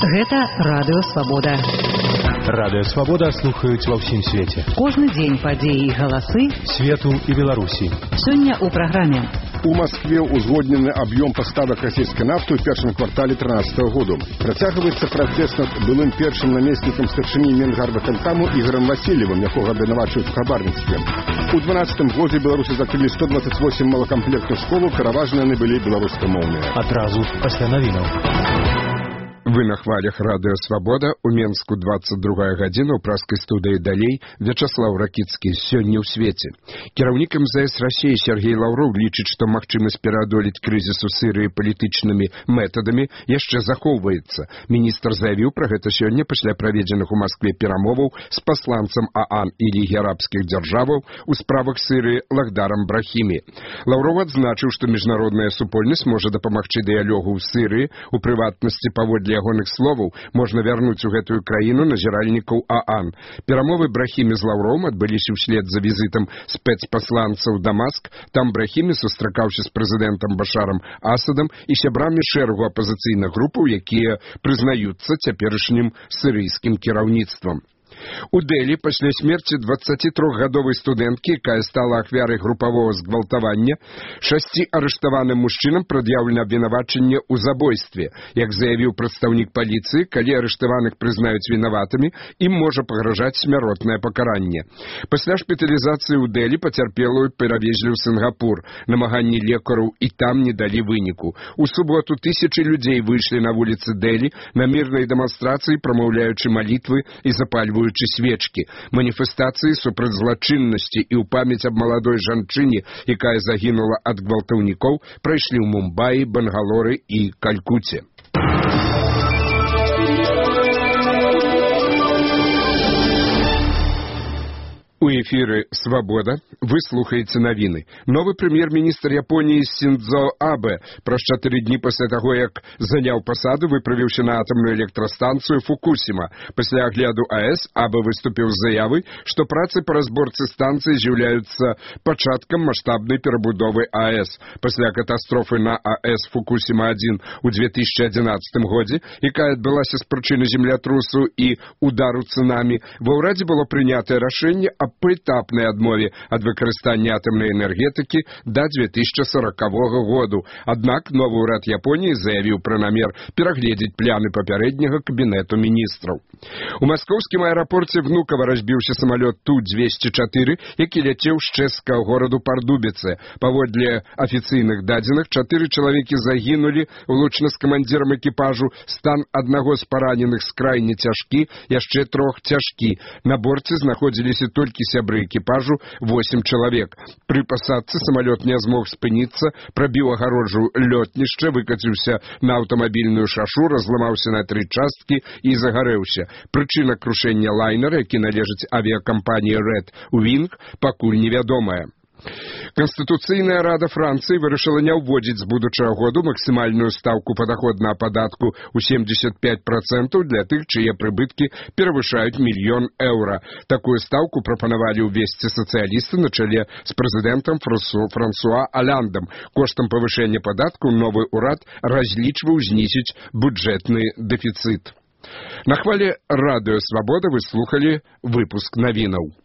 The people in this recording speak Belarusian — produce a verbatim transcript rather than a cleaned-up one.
Гэта Радыё Свабода. Радыё Свабода слухаюць ва ўсім свеце. Кожны дзень падзеі і галасы свету і Беларусі. Сёння ў праграме. У Москве узгоднены аб'ём паставак расійскай нафты ў першым квартале трынаццатага году. Працягваецца пратэст над былым першым намеснікам старшыні Менгарвыканкаму Ігорам Васильевым, якога абвінавачваюць у хабарніцтве. У дванаццатым годзе Беларусі закрылі сто дваццаць восем малакамплектных школаў, пераважна яны былі беларускамоўныя. Адразу пасля навінаў. Вы на хвалях Радыё Свабода. У Менску двадцать другая гадзіна, у праскай студыі далей Вячаслаў Ракіцкі. Сёння ў свеце. Кіраўнік эм зэ эс Расіі Сергей Лаўроў лічыць, што магчымасць пераадолець крызіс у Сірыі палітычнымі метадамі яшчэ захоўваецца. Міністр заявіў пра гэта сёння пасля праведзеных у Маскве перамоваў з пасланцам ААН і Лігі арабскіх дзяржаваў у справах Сірыі Лахдарам Брахімі. Лаўроў адзначыў, што міжнародная супольнасць можа дапамагчы дыялогу ў Сірыі, у прыватнасці паводле ягоных словаў можна вярнуць у гэтую краіну назіральнікаў ААН. Перамовы Брахімі з Лаўровым адбыліся ўслед за візітам спецпасланца ў Дамаск. Там Брахімі сустракаўся з прэзідэнтам Башарам Асадам і сябрамі шэрагу апазіцыйных групаў, якія прызнаюцца цяперашнім сірыйскім кіраўніцтвам. У Дэлі пасля смерці дваццацітрохгадовай студэнткі, якая стала ахвярай групавога згвалтавання, шасці арыштаваным мужчынам прад'яўлена абвінавачанне ў забойстве. Як заявіў прадстаўнік паліцыі, калі арыштаваных прызнаюць вінаватымі, ім можа пагражаць смяротнае пакаранне. Пасля шпіталізацыі ў Дэлі пацярпелую перавезлі ў Сінгапур. Намаганні лекараў і там не далі выніку. У суботу тысячы людзей выйшлі на вуліцы Дэлі на мірнай дэманстрацыі, прамаўляючы малітвы і запальваючы свечкі. Маніфестацыі супраць злачыннасці і ў памяць аб маладой жанчыне, якая загінула ад гвалтаўнікоў, прайшлі ў Мумбаі, Бангалоры і Калькуце. У эфіры «Свабода» вы слухаеце навіны. Новы прэм'ер-міністр Японіі Синдзо Абэ праз чатыры дні пасля таго, як заняў пасаду, выправіўся на атамную электрастанцыю Фукусіма. Пасля агляду АЭС Абэ выступіў з заявай, што працы па разборцы станцыі з'яўляюцца пачаткам маштабнай перабудовы АЭС. Пасля катастрофы на АЭС Фукусіма адзін у две тысячы адзінаццатым годзе, якая адбылася з прычыны землятрусу і удару цунамі, ва ўрадзе было прынятае рашэнне аб поэтапнай адмове ад выкарыстання атамнай энергетыкі да две тысячы сорокавога году. Аднак новы ўрад Японіі заявіў пра намер перагледзець пляны папярэдняга кабінету міністраў. У маскоўскім аэрапорце Внукова разбіўся самалёт Ту двесце чатыры, які ляцеў з чэшскага гораду Пардубіце. Паводле афіцыйных дадзеных, чатыры чалавекі загінулі, улучна з камандзірам экіпажу. Стан аднаго з параненых скрайне цяжкі, яшчэ трох цяжкі. На борце знаходзіліся толькі сябры экіпажу, восем чалавек. Пры пасадцы самалёт не змог спыніцца, прабіў агароджу лётнішча, выкаціўся на аўтамабільную шашу, разламаўся на тры часткі і загарэўся. Прычына крушэння лайнера, які належыць авіякампаніі Red Wing, пакуль невядомая. Канстытуцыйная рада Францыі вырашыла не ўводзіць з будучага году максімальную стаўку падаходнага падатку ў семьдесят пять процентаў для тых, чые прыбыткі перавышаюць мільён еўра. Такую стаўку прапанавалі ўвесці сацыялісты на чале з прэзідэнтам Франсуа Алляндам. Коштам павышэння падатку новы ўрад разлічваў знізіць бюджэтны дэфіцыт. На хвале Радыё Свабода вы слухалі выпуск навінаў.